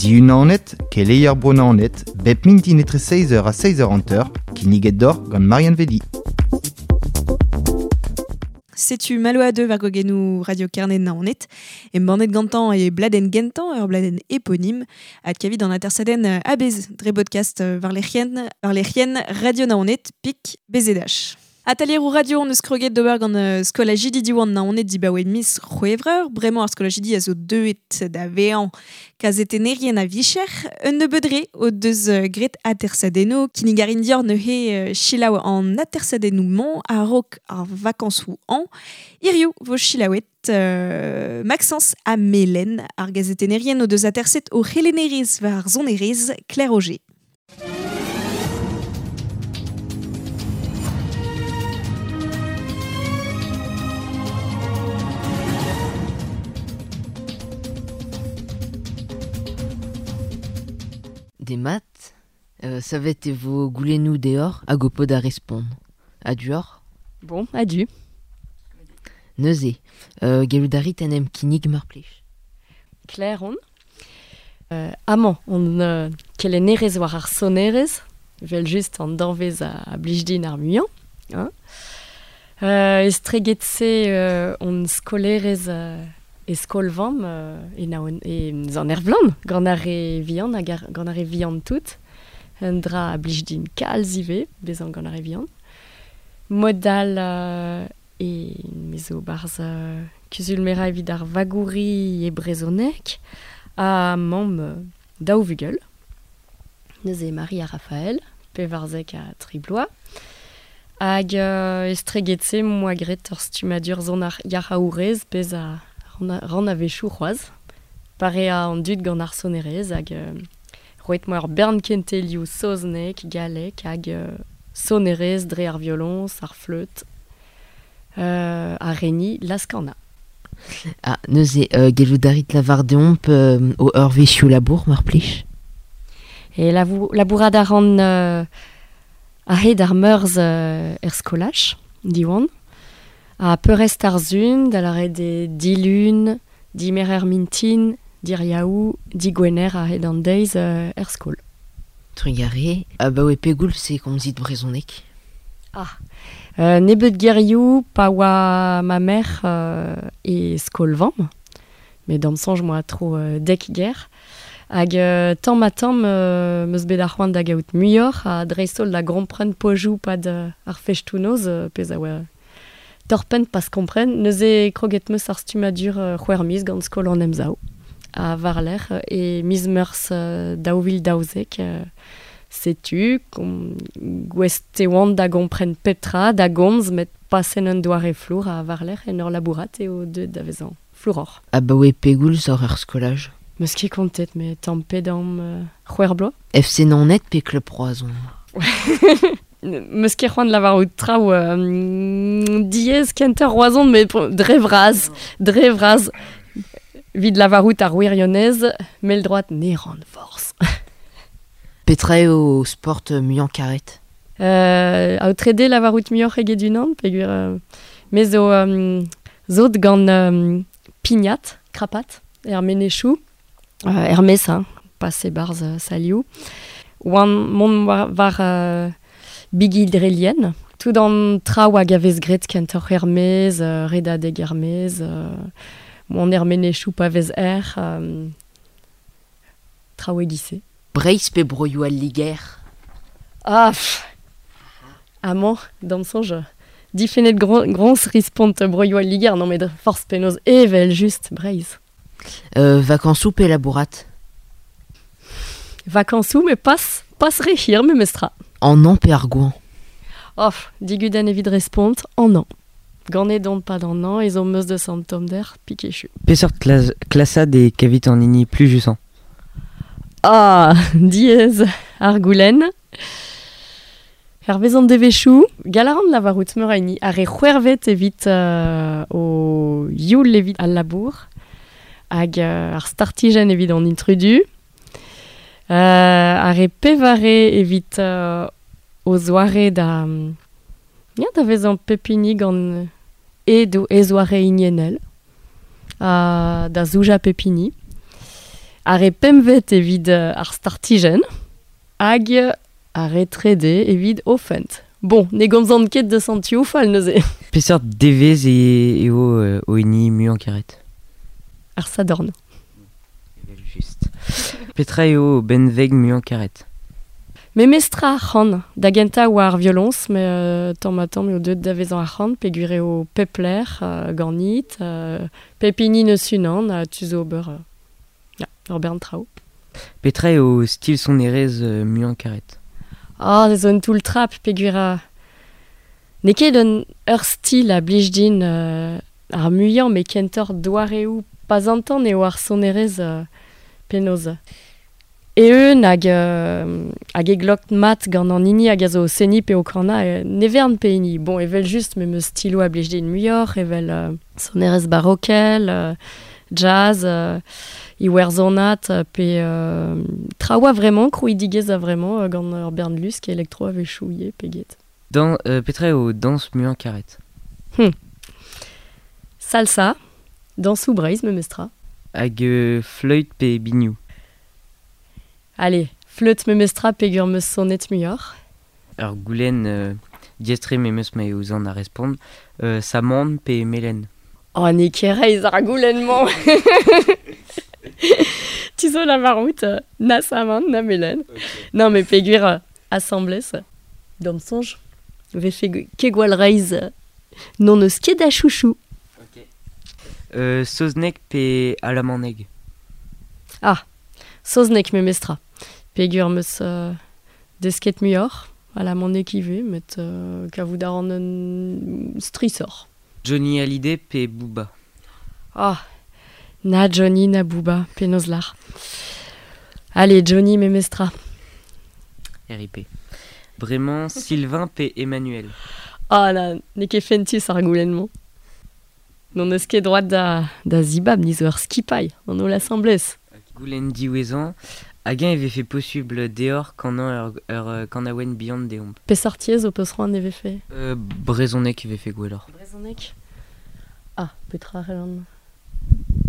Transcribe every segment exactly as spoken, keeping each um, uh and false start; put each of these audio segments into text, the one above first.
Diunanet, keleier Bro Naoned, bep mintin etre seiz eur ha seiz eur hanter, kinniget deoc'h gant Marianne Velli. Setu malo a deux war gogennoù Radio Kerne Naoned, embannet gantañ e bladenn gentañ ur bladenn éponyme, adkavit an atersadenn a-bezh dre podcast war lec'hienn, war lec'hienn Radio Naoned pik B Z H. Atalier radio on eus kroget d'ober gant uh, skolajidi Diwan Naoned dibaoe miz C'hwevrer, bremañ ar skolajidi a zo deuet da vezañ kazetennerien a vicher, un nebeud re o deus uh, graet atersadennoù, kinnig a rin dior neuze uh, selaou an atersadennoù-mañ a-raok ar vakañsoù an, hiriv vo selaouet uh, Maxence ha Melen, ar gazetennerien o deus aterset o c'helennerez war ar sonerezh Claire Auger. Demat, euh, savet e vo goulennoù deoc'h hag ho po da respont. Adieu. Bon, adieu. Neuze, euh, gellout a rit en em kinnig mar plij. Claire on. Euh, amañ, on euh, kelennerez war ar sonerez, vel just an danvez a, a blij din ar muiañ. Hein. Euh, estreget-se euh, on skolerez euh, e skolvamm euh, e naon, e zan er vlan, gant ar re vihan hag ar, gant ar re vihan tout. Un dra a blij din kalz ivez, bezañ gant ar re vihan. Modal euh, e me zo barzh euh, kuzul-merañ evit ar vagouri e brezhoneg ha mamm euh, daou vugel. Neuze Marie ha Raphaël, pevarzek ha tri bloaz. Hag euh, estreget-se moa graet ur stummadur zon ar yac'haourez pezh a ran a wechoù c'hoazh. Pare a an dud gant ar sonerezh hag euh, roet moa ur bern kentelioù saozneg, gallek hag euh, sonerezh dre ar violoñs, ar fleüt, euh, ar reni laskana. Ah, neuze, euh, gellout a rit lavar deomp euh, o eurvezhioù labour, mar plij? E lavou, labourat a ran euh, a-hed ar meurzh euh, er skolaj, Diwan. A peurrest ar sun, da lâret eo dilun, dimerc'her mintin, diriaou, digwener a-hed an deiz euh, er skol. Trugarez, abaoe pegoulz e komzit brezhoneg? Ah, euh, nebeut gerioù pa oa ma mère euh, e skol-vamm, met d'am soñj moa tro euh, dek ger. Hag euh, tamm ha tamm euh, meus bet ar c'hoant da gaout muioc'h ha dreist-holl da gompren pozioù pad euh, ar festoù-noz euh, pezh a oa torpenn pas kompren, neuze kroget meus ar stummadur euh, c'hwec'h miz gant skol an Emsav. A war-lerc'h e miz meurzh euh, daou vil daouzek euh, setu kom, gouest e oan da gompren petra, da gomz, met pasen un doare flour a war-lerc'h en ur labourat eo deuet da vezañ flouroc'h. Abaoe pegoulz oc'h er skolaj? Meus ket kontet, met tamm pe damm euh, c'hwec'h bloaz. F C Naoned pe Club Roazhon? Meus ket c'hoant lavarout traoù euh, diaes kentañ Roazhon, met dre vras, dre vras. Vid lavarout ar wirionez, mell droat ne ran forzh. Petra eo sport muiañ karet? Euh, aotrede lavarout muioc'h eget unan, peogwir euh, me zo euh, zot gant euh, pignat, krapat, er menezioù, euh, er mez, hein, pas e-barzh euh, salioù. Oan mont war, war euh, bigi drelien. Tout an traoù hag a vez graet kentoc'h er maez, euh, redadeg er maez, euh, mont er menezioù pa vez erc'h, euh, traoù e-giz-se. Breizh pe broioù al Liger? Ah, pff. Amañ, d'am soñj, difennet gro-, groñs respont broioù al Liger, non met forzh penaos evel just Breizh. Euh, vakañsoù pe labourat? Vakañsoù, met pas, pas re hir memestra. An an pe ar goañv? Oh, digudenn evit respont, an an. Ganet on pad an an, ez on meus deus an tommder, pikechu. Peseurt klas-, klasad e kavit an hini plujusañ? Ah, diaes ar goulenn. Hervez an devezhioù, gall a ran lavarout meur a hini, ar re c'hwec'hvet evit, euh, o youl evit al labour, hag, euh, ar startijenn evit an intrudu, euh, ar re pevare evit, euh, o zoare da, ya, da vezañ pep hini gant e do e zoare hiniennel, ha da zoujañ pep hini. Ar re pemvet evit euh, ar startijen, hag ar re trede evit ofent. Bon, ne gomzan ket de santioù fall neuze. Peseurt devez e eo euh, o hini muiañ karet. Ar sadorn. Evel just. Petra eo o benveg muiañ karet. Memestra ar c'han, da gentañ oa ar violons, me euh, tamm ha tamm eo deuet da vezañ ar c'han, peogwir eo pep lec'h, euh, ganit, euh, pep hini neus unan, ha tu zo ober, euh, ya, ur bern traoù. Petra eo stil sonerezh euh, muiañ karet. Ah, ze zo un toull trap, peogwir a... N'eo ket un ur stil a blij din euh, ar muiañ, met kentoc'h doareoù pas an tan eo ar sonerezh euh, penaos. Eeun hag, euh, hag e glok mat gant an hini hag a zo seni pe o kana, euh, ne vern pe hini. Bon, evel just me meus stilo a blij din muioc'h, evel euh, sonerezh barokel, euh, jazz, euh, iwerzhonat, euh, pe euh, traoù a vraiment, krouidigezh a vraiment euh, gant ur bern lusk elektro a vez chouillet pe get. Dan, euh, petra eo dañs muiañ karet. Hmm. Salsa, dañsoù Breizh memestra. Hag euh, fleüt pe binioù. Allez, fleüt memestra peogwir meus sonet muioc'h. Ur goulenn euh, diestre memes ma eo zan a respont, euh, samon pe melen. Oh, n'eo ket reizh ar goulenn-mañ. Tu zo la maroute, euh, na samon, na melen. Okay. Non, mais peogwir euh, asambles, d'am soñj, vefe ket gwall reizh, euh, n'on eus ket da chouchou. Ok. Euh, saozneg pe alamaneg. Ah, saozneg memestra. Peogwir meus euh, desket muioc'h, alamaneg ivez, met euh, kavout a ran un strisoc'h. Johnny Hallyday pe Booba. Ah, na Johnny na Booba, penaos lar. Allez, Johnny memestra. R I P. Bremañ, Sylvain pe Emmanuel. Ah, na, n'eo ket fentus ar goulenn-mañ. N'on eus ket droit da, da zibab, ni zo ur skipailh, an holl asambles. Goulenn diwezhañ, hag-eñ e vefe posubl deoc'h kanañ ur, ur, euh, kanaouenn bihan deomp. Peseurt yezh ho peus c'hoant e vefe ? Euh, brezhoneg e vefe gwelloc'h. Brezhoneg ? Ah, petra c'hellan.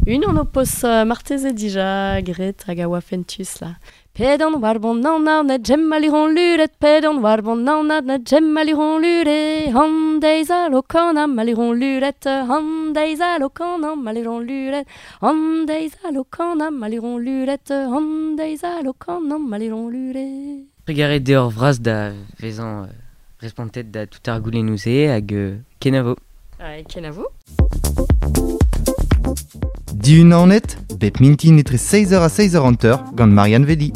Unan ho peus euh, marteze dija graet hag a oa fentus là. Pedan war bon nan nan na gem maliron luret, pedan war bon nan nan na gem maliron luret, an deiz a lo kana maliron luret, an deiz a lo kana maliron luret, an deiz a lo kana maliron luret, an deiz a lo kana maliron luret. Trugarez deoc'h vras da vezañ, euh, respontet da tout ar goulennoù-se hag, euh, kenavo. Ouais, kenavo. Dihun Naoned, bep mintin etre seizh eur ha seizh eur hanter gant Marianne Velli.